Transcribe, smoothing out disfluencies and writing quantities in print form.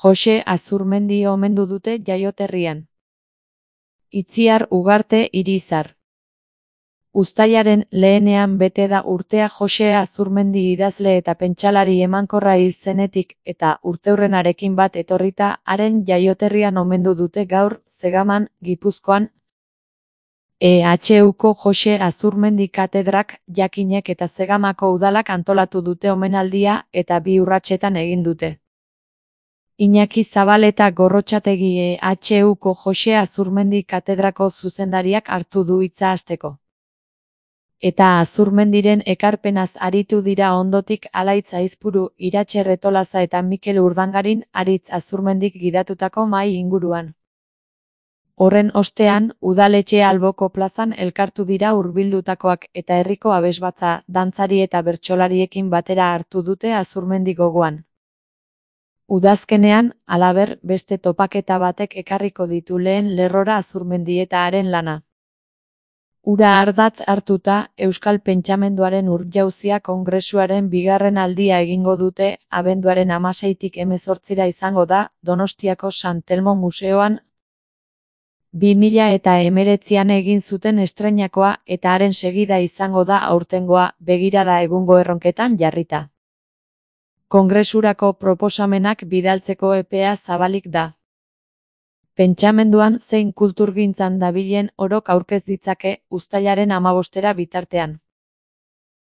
Jose Azurmendi omendu dute jaioterrian. Itziar Ugarte Irizar. Uztailaren 1ean bete da urtea Jose Azurmendi idazle eta pentsalari emankorra hil zenetik eta urteurrenarekin bat etorrita haren jaioterrian omendu dute gaur Zegaman, Gipuzkoan. EHUko Jose Azurmendi katedrak, Jakinek eta Zegamako udalak antolatu dute omenaldia eta 2 urratsetan egin dute. Iñaki Zabaleta Gorrotxategi EHUko Jose Azurmendi katedrako zuzendariak hartu du hitza hasteko. Eta Azurmendiren ekarpenaz aritu dira ondotik Alaitz Aizpuru, Iratxe Retolaza eta Mikel Urdangarin Aritz Azurmendik gidatutako mahai inguruan. Horren ostean, udaletxe alboko plazan elkartu dira hurbildutakoak eta herriko abesbatza, dantzari eta bertsolariekin batera hartu dute Azurmendi gogoan. Udazkenean, halaber, beste topaketa batek ekarriko ditu lehen lerrora Azurmendi eta haren lana. Hura ardatz hartuta, Euskal Pentsamenduaren Urjauzia Kongresuaren 2. aldia egingo dute, abenduaren 16tik 18 izango da, Donostiako San Telmo Museoan. 2019an egin zuten estreinakoa eta haren segida izango da aurtengoa, begirada egungo erronketan jarrita. Kongresurako proposamenak bidaltzeko epea zabalik da. Pentsamenduan zein kulturgintzan dabilen orok aurkez ditzake uztailaren 15 bitartean.